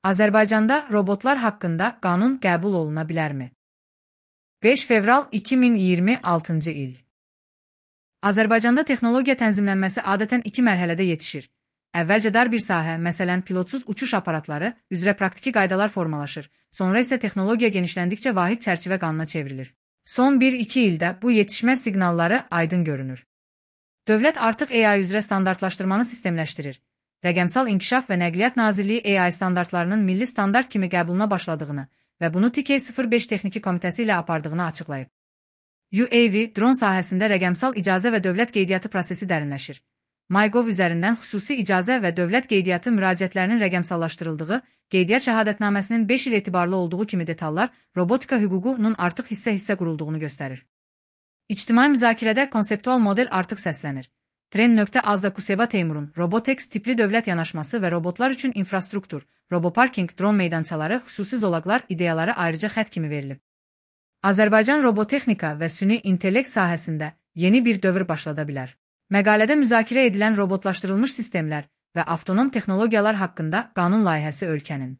Azərbaycanda robotlar haqqında qanun qəbul oluna bilərmi? 5 fevral 2026-cı il. Azərbaycanda texnologiya tənzimlənməsi adətən iki mərhələdə yetişir. Əvvəlcə dar bir sahə, məsələn pilotsuz uçuş aparatları üzrə praktiki qaydalar formalaşır, sonra isə texnologiya genişləndikcə vahid çərçivə qanuna çevrilir. Son 1-2 ildə bu yetişmə siqnalları aydın görünür. Dövlət artıq AI üzrə standartlaşdırmanı sistemləşdirir. Rəqəmsal İnkişaf və Nəqliyyat Nazirliyi AI standartlarının milli standart kimi qəbuluna başladığını və bunu TK-05 Texniki Komitəsi ilə apardığını açıqlayıb. UAV, dron sahəsində rəqəmsal icazə və dövlət qeydiyyatı prosesi dərinləşir. MyGov üzərindən xüsusi icazə və dövlət qeydiyyatı müraciətlərinin rəqəmsallaşdırıldığı, qeydiyyat şəhadətnaməsinin 5 il etibarlı olduğu kimi detallar robotika hüququnun artıq hissə-hissə qurulduğunu göstərir. İctimai müzakirədə konseptual model artıq səslənir. Tren.az-da Teymurun Robotex tipli dövlət yanaşması və robotlar üçün infrastruktur, roboparking, dron meydançaları, xüsusi zolaqlar ideyaları ayrıca xətt kimi verilib. Azərbaycan robotexnika və süni intellekt sahəsində yeni bir dövr başlada bilər. Məqalədə müzakirə edilən robotlaşdırılmış sistemlər və avtonom texnologiyalar haqqında qanun layihəsi ölkənin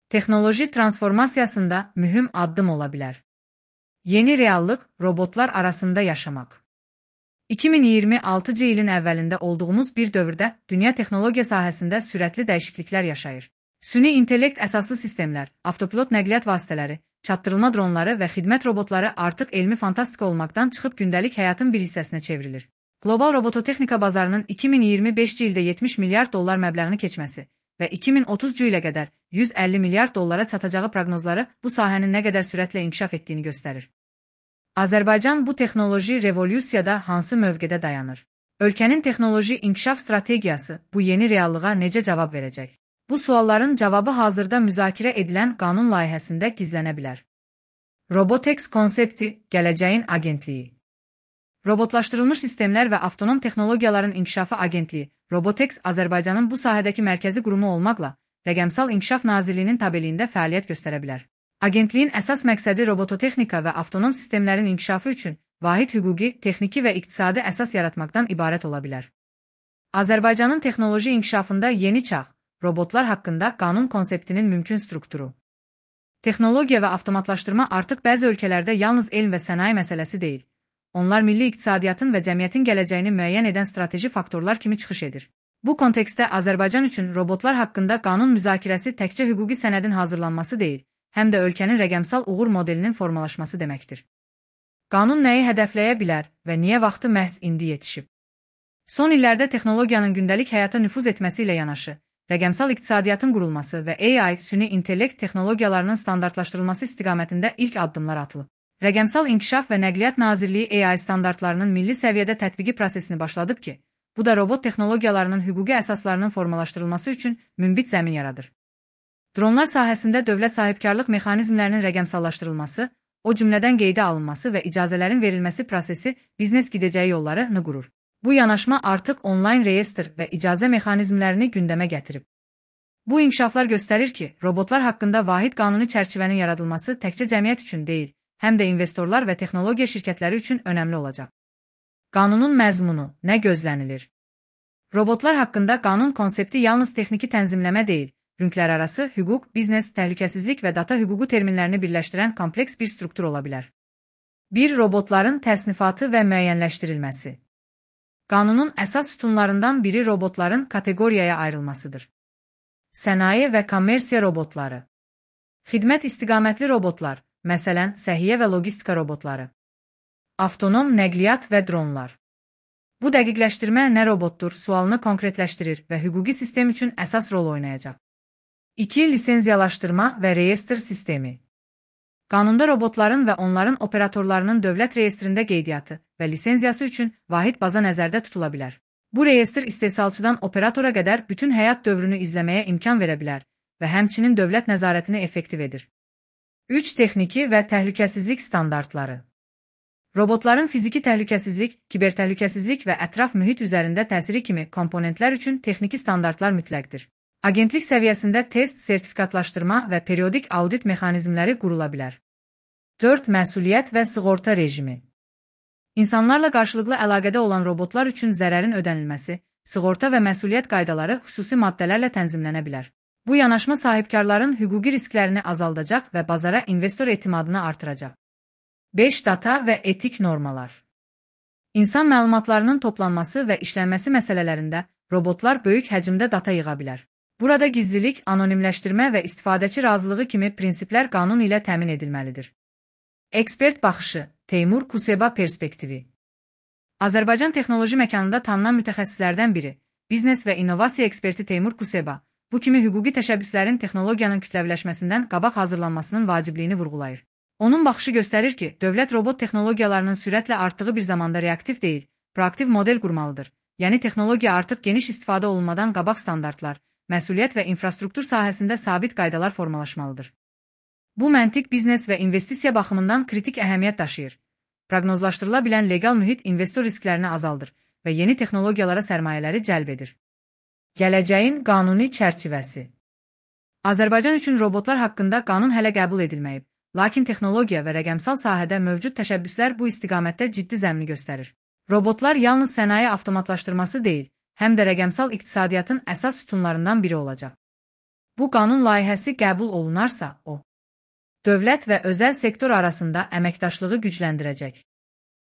texnoloji transformasiyasında mühüm addım ola bilər. Yeni reallıq robotlar arasında yaşamaq. 2026-cı ilin əvvəlində olduğumuz bir dövrdə dünya texnologiya sahəsində sürətli dəyişikliklər yaşayır. Süni intellekt əsaslı sistemlər, avtopilot nəqliyyat vasitələri, çatdırılma dronları və xidmət robotları artıq elmi fantastika olmaqdan çıxıb gündəlik həyatın bir hissəsinə çevrilir. Qlobal robototexnika bazarının 2025-ci ildə 70 milyard dollar məbləğini keçməsi və 2030-cu ilə qədər 150 milyard dollara çatacağı proqnozları bu sahənin nə qədər sürətlə inkişaf etdiyini göstərir. Azərbaycan bu texnoloji revolyusiyada hansı mövqedə dayanır? Ölkənin texnoloji inkişaf strategiyası bu yeni reallığa necə cavab verəcək? Bu sualların cavabı hazırda müzakirə edilən qanun layihəsində gizlənə bilər. Robotex konsepti, gələcəyin agentliyi. Robotlaşdırılmış sistemlər və avtonom texnologiyaların inkişafı agentliyi, Robotex Azərbaycanın bu sahədəki mərkəzi qurumu olmaqla, Rəqəmsal İnkişaf Nazirliyinin tabeliyində fəaliyyət göstərə bilər. Agentliyin əsas məqsədi robototexnika və avtonom sistemlərin inkişafı üçün vahid hüquqi, texniki və iqtisadi əsas yaratmaqdan ibarət ola bilər. Azərbaycanın texnoloji inkişafında yeni çağ, robotlar haqqında qanun konseptinin mümkün strukturu. Texnologiya və avtomatlaşdırma artıq bəzi ölkələrdə yalnız elm və sənaye məsələsi deyil. Onlar milli iqtisadiyyatın və cəmiyyətin gələcəyini müəyyən edən strateji faktorlar kimi çıxış edir. Bu kontekstdə Azərbaycan üçün robotlar haqqında qanun müzakirəsi təkcə hüquqi sənədin hazırlanması deyil, həm də ölkənin rəqəmsal uğur modelinin formalaşması deməkdir. Qanun nəyi hədəfləyə bilər və niyə vaxtı məhz indi yetişib? Son illərdə texnologiyanın gündəlik həyata nüfuz etməsi ilə yanaşı, rəqəmsal iqtisadiyyatın qurulması və AI, süni intellekt texnologiyalarının standartlaşdırılması istiqamətində ilk addımlar atılıb. Rəqəmsal İnkişaf və Nəqliyyat Nazirliyi AI standartlarının milli səviyyədə tətbiqi prosesini başladıb ki, bu da robot texnologiyalarının hüquqi əsaslarının formalaşdırılması üçün münbit zəmin yaradır. Dronlar sahəsində dövlət sahibkarlıq mexanizmlərinin rəqəmsallaşdırılması, o cümlədən qeydə alınması və icazələrin verilməsi prosesi biznes gidəcəyi yollarını qurur. Bu yanaşma artıq onlayn reyestr və icazə mexanizmlərini gündəmə gətirib. Bu inkişaflar göstərir ki, robotlar haqqında vahid qanuni çərçivənin yaradılması təkcə cəmiyyət üçün deyil, həm də investorlar və texnologiya şirkətləri üçün önəmli olacaq. Qanunun məzmunu, nə gözlənilir? Robotlar haqqında qanun konsepti yalnız texniki tənzimləmə deyil, rünklərarası hüquq, biznes, təhlükəsizlik və data hüququ terminlərini birləşdirən kompleks bir struktur ola bilər. 1. Robotların təsnifatı və müəyyənləşdirilməsi. Qanunun əsas sütunlarından biri robotların kateqoriyaya ayrılmasıdır. Sənaye və kommersiya robotları. Xidmət istiqamətli robotlar, məsələn, səhiyyə və logistika robotları. Avtonom nəqliyyat və dronlar. Bu dəqiqləşdirmə nə robotdur sualını konkretləşdirir və hüquqi sistem üçün əsas rol oynayacaq. 2. Lisenziyalaşdırma və reyestr sistemi. Qanunda robotların və onların operatorlarının dövlət reyestrində qeydiyyatı və lisenziyası üçün vahid baza nəzərdə tutula bilər. Bu reyestr istehsalçıdan operatora qədər bütün həyat dövrünü izləməyə imkan verə bilər və həmçinin dövlət nəzarətini effektiv edir. 3. Texniki və təhlükəsizlik standartları. Robotların fiziki təhlükəsizlik, kibertəhlükəsizlik və ətraf mühit üzərində təsiri kimi komponentlər üçün texniki standartlar mütləqdir. Agentlik səviyyəsində test, sertifikatlaşdırma və periodik audit mexanizmləri qurula bilər. 4. Məsuliyyət və sığorta rejimi. İnsanlarla qarşılıqlı əlaqədə olan robotlar üçün zərərin ödənilməsi, sığorta və məsuliyyət qaydaları xüsusi maddələrlə tənzimlənə bilər. Bu yanaşma sahibkarların hüquqi risklərini azaldacaq və bazara investor etimadını artıracaq. 5. Data və etik normalar. İnsan məlumatlarının toplanması və işlənməsi məsələlərində robotlar böyük həcmdə data yığa bilər. Burada gizlilik, anonimləşdirmə və istifadəçi razılığı kimi prinsiplər qanun ilə təmin edilməlidir. Ekspert baxışı, Teymur Kuseba perspektivi. Azərbaycan texnoloji məkanında tanınan mütəxəssislərdən biri, biznes və innovasiya eksperti Teymur Kuseba, bu kimi hüquqi təşəbbüslərin texnologiyanın kütləviləşməsindən qabaq hazırlanmasının vacibliyini vurğulayır. Onun baxışı göstərir ki, dövlət robot texnologiyalarının sürətlə artdığı bir zamanda reaktiv deyil, proaktiv model qurmalıdır. Yəni texnologiya artıq geniş istifadə olunmadan qabaq standartlar, məsuliyyət və infrastruktur sahəsində sabit qaydalar formalaşmalıdır. Bu məntiq biznes və investisiya baxımından kritik əhəmiyyət daşıyır. Proqnozlaşdırıla bilən legal mühit investor risklərini azaldır və yeni texnologiyalara sərmayələri cəlb edir. Gələcəyin qanuni çərçivəsi. Azərbaycan üçün robotlar haqqında qanun hələ qəbul edilməyib, lakin texnologiya və rəqəmsal sahədə mövcud təşəbbüslər bu istiqamətdə ciddi zəmini göstərir. Robotlar yalnız sənaye avtomatlaşdırması deyil, həm də rəqəmsal iqtisadiyyatın əsas sütunlarından biri olacaq. Bu qanun layihəsi qəbul olunarsa, o, dövlət və özəl sektor arasında əməkdaşlığı gücləndirəcək.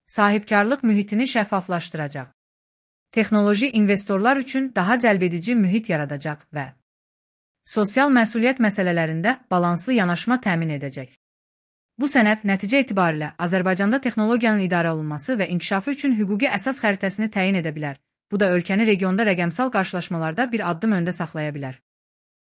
Sahibkarlıq mühitini şəffaflaşdıracaq. Texnoloji investorlar üçün daha cəlbedici mühit yaradacaq və sosial məsuliyyət məsələlərində balanslı yanaşma təmin edəcək. Bu sənəd nəticə etibarilə Azərbaycanda texnologiyanın idarə olunması və inkişafı üçün hüquqi əsas xəritəsini təyin edə bilər. Bu da ölkəni regionda rəqəmsal qarşılaşmalarda bir addım öndə saxlaya bilər.